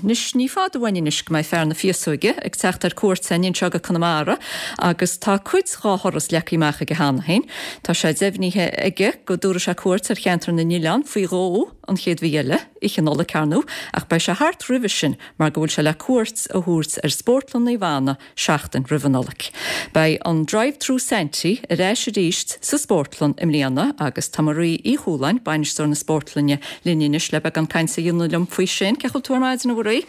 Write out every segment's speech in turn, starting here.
Anois, ní fada uainn anois go mbeidh fear na féasóige ag teacht ar cuairt againn anseo go Conamara agus tá cuid dhá thuras leagtha amach aige cheana féin. Tá sé deimhnithe aige go dtabharfaidh sé cuairt ar cheantar na nOileán faoi dhó an chéad mhí eile, Oíche Nollag, ar ndóigh, ach beidh sé thart roimhe sin mar go bhfuil sé le cuairt a thabhairt ar Spórtlann Naomh Anna seachtain roimh an Nollaig. Beidh an Drive Through Santy ar ais arís sa Spórtlann i mbliana agus tá Marie Uí Chualáin, bainisteoir na Spórtlainne, linn anois le beagán cainte a dhéanamh liom faoi sin. Cén chaoi a bhfuil tú ar maidin, a Mharie?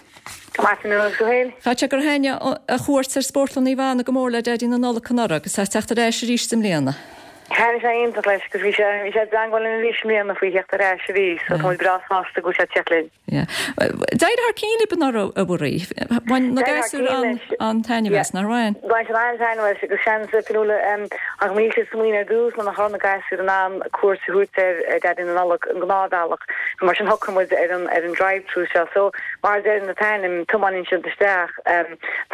Go maith, agus tú féin? Chaithfeadh sé gur thaitnigh a chuairt ar Spórtlann Naomh Anna go mór le Daidí na Nollag anuraidh agus é ag teacht ar ais arís i mbliana. Thaitnigh sé iontach leis agus bhí sé bhí sé i dteangmháil linn arís i mbliana faoi theacht ar ais arís so tá muid breá sásta go bhfuil sé ag teacht linn. Yeah. D'éirigh thar cionn libh anuraidh, a Mharie. Bhain na gasúir an-taitneamh as, nár bhain? Bhain siad an-taitneamh as agus seans, Fionnuala, ach níl siad smaoineamh ar dtús ná nach raibh na gasúir in ann cuairt a thabhairt ar Daidí na Nollag an gnáthbhealach. Mar sin shocraigh muid ar an ar an drive-through seo. So mar a deir an t-ainm, tiomáineann siad isteach,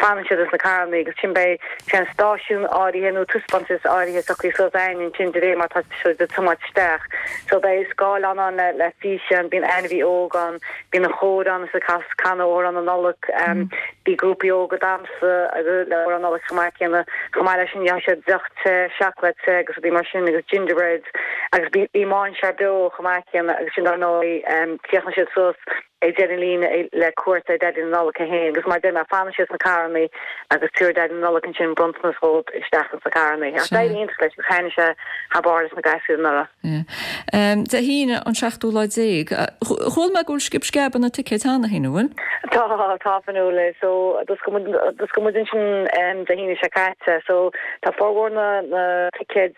fanann siad ins na carrannaí agus ansin beidh seans stáisiún áirithe nó taispeántas áirithe socraithe suas againn ansin de réir mar tá siad ag tiomáint isteach. So beidh scáileán ann le le físeán, bíonn ainmhí óg ann, bíonn an chór ann is ag canadh amhrán na Nollag, bíonn grúpaí óga ag damhsa agus le amhrán Nollag chomh maith céanna. Chomh maith leis sin gheobhaidh siad deoch te, seacláid te agus rudaí mar sin agus gingerbreads agus bíonn mainséar beo chomh maith céanna agus sin dar ndóigh críochnaíonn siad suas ag deireadh an líne le cuairt ar Daidí na Nollag é féin agus mar a deir mé fanann siad sna carrannaí agus tabharfaidh Daidí na Nollag ansin bronntanas dhóibh isteach ins na carrannaí. Ach d'éirigh iontach leis agus thaitnigh sé thar barr leis na gasúir anuraidh. Dé hAoine an seachtú lá déag. Chuala mé go bhfuil scib sceab ar na ticéid cheana féin, an bhfuil? Tá, tá Fionnuala. So d'oscail muid, d'oscail muid ansin Dé hAoine seo caite. So tá formhór na, na ticéid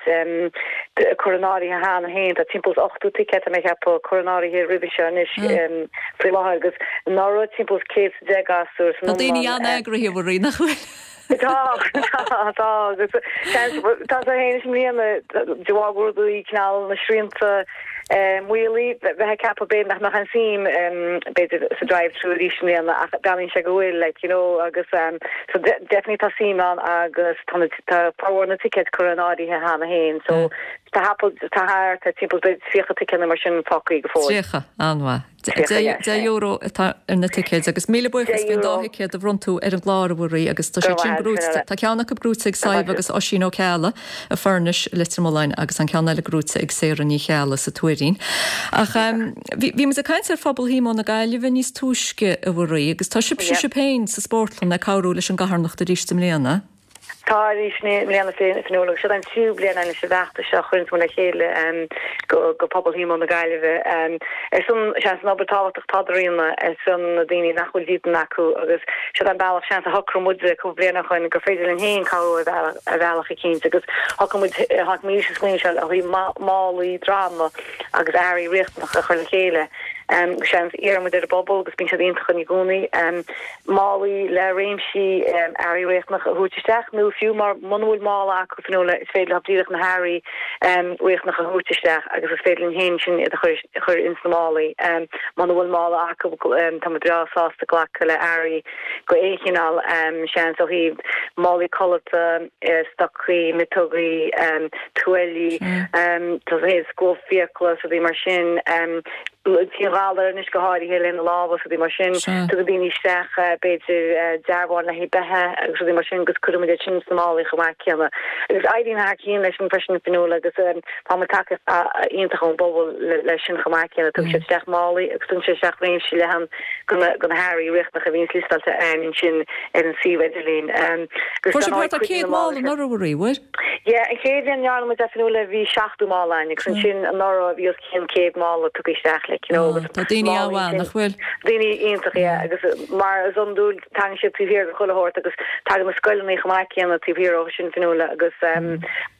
curtha in áirithe cheana féin. Tá timpeall is 80 ticéad tá mé ag ceapadh curtha in áirithe roimhe seo anois faoi láthair agus anuraidh timpeall is 110 gasúr san Tá daoine iomlán. an-eagraithe, a Mharie, nach bhfuil? Tá, tá, tá agus seans, tá sé féin i mbliana de bharr go rudaí cineál na srianta maolaithe, bheifeá ag ceapadh b'fhéidir nach mbeadh aon suim b'fhéidir sa drive through arís i mbliana ach breathnaíonn sé go bhfuil like you know agus so definitely tá suim ann agus tá na tá formhór na ticéid curtha in áirithe cheana féin so tá thapall tá thart ar timpeall b'fhéidir 30 ticéad nó mar sin fágtha go fóill. 30, an-mhaith. 30, yeah. €10 atá ar na ticéid agus míle buíochas faoin dá thicéad a bhronn tú ar an gclár a Mharie agus tá siad sin gnóite, tá ceann acu gnóite ag Sadhbh agus Oisín Ó Ceallaigh i Furnish, Leitir Mealláin agus an ceann eile gnóite ag Sarah Ní Cheallaigh sa Tuairín. Ach bhí muid ag caint ar phobal Shíomóin na Gaillimhe níos túisce a Mharie agus tá sibhse sibh féin sa spórtlann ag cabhrú leis an gcarthanacht arís i mbliana. Tá arís i mbliana Fionnuala agus seo an tríú bliain anois an feachtas seo a chuireanns muid le chéile go pobal Shíomóin na Gaillimhe ar son seans an obair tábhachtach atá á dhéanamh ar son na daoine nach bhfuil dídean acu agus seo an bealach seans a shocraigh muid cúpla bliain ó shoin gur féidir linn féin cabhrú ar bhealach eicínt agus shocraigh muid tháinig muid leis an smaoineamh seo le haghaidh málaí droma agus earraí riachtanacha a chur le chéile seans iarrann muid ar an bpobal agus bíonn siad iontach i gcónaí. málaí le réimsí earraí riachtanacha a thabhairt isteach nó fiú muna bhfuil mála acu Fionnuala is féidir leo díreach na hearraí riachtanacha a thabhairt isteach agus is féidir linn féin sin iad a chur ins na málaí. Muna bhfuil mála acu tá muid breá sásta glacadh le earraí go aon chineál, seans ó thaobh málaí codlata, stocaí, miotógaí, tuáillí, scuab fiacla is rudaí mar sin. Dianghalar anois go háirithe lena lámha is rudaí mar sin. Tugann daoine isteach b'fhéidir dearbháin le haghaidh beithe agus rudaí mar sin agus cuireann muid iad sin sna málaí chomh maith céanna. Agus éiríonn thar cionn leis sin freisin Fionnuala agus faigheann muid tacaíocht iontach ón bpobal leis sin chomh maith céanna. Tugann siad isteach málaí agus tugann siad isteach réimse leathan de na hearraí riachtanacha a bhíonns liostáilte againn ansin ar an suíomh idirlín. Agus Fuair sibh thart ar 100 mála anuraidh a Mharie, bhfuair? Yeah, an chéad bhliain a ndearna muid é Fionnuala bhí 70 mála againn agus ansin anuraidh bhí os cionn 100 mála tugtha isteach like you know agus Tá daoine an-mhaith, nach bhfuil? Daoine iontach yeah agus mar is iondúil tagann siad taobh thiar de chuile shórt agus tagann na scoileanna chomh maith céanna taobh thiar ó sin Fionnuala agus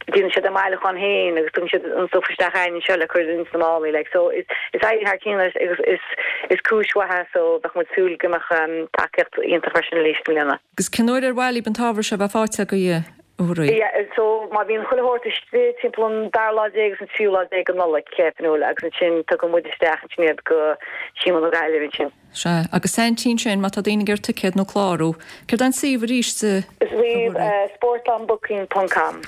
déanann siad a mbailiúchán féin agus tugann siad an stuif isteach againn anseo le cur ins na málaí like so is is éiríonn thar cionn leis agus is is cúis mhaith é so bheadh muid súil go mbeadh tacaíocht iontach freisin arís i mbliana. Agus cén uair ar mhaith libh an t-ábhar seo a bheith faighte agaibh, a Mharie? Yeah, so má bhíonn chuile shórt istigh timpeall an dara lá déag agus an tríú lá déag de Nollaig, Fionnuala, agus ansin tugann muid isteach ansin iad go Síomón na Gaillimhe ansin. Sea, agus Saintí ansin, má tá daoine ag iarraidh ticéad nó clárú, céard é an suíomh arís, a Mharie? Suíomh, sportlannbooking ponc com.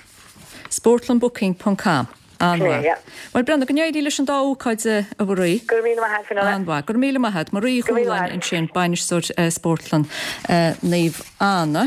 Sportlannbooking ponc com. An-mhaith. Bhuel, Breandán, go n-éirí leis an dá ócáid, a Mharie. Go raibh míle maith agat, Fionnuala. An-mhaith. Go raibh míle maith agat. Marie Uí Chualáin ansin, Bainisteoir Spórtlann Naomh Anna.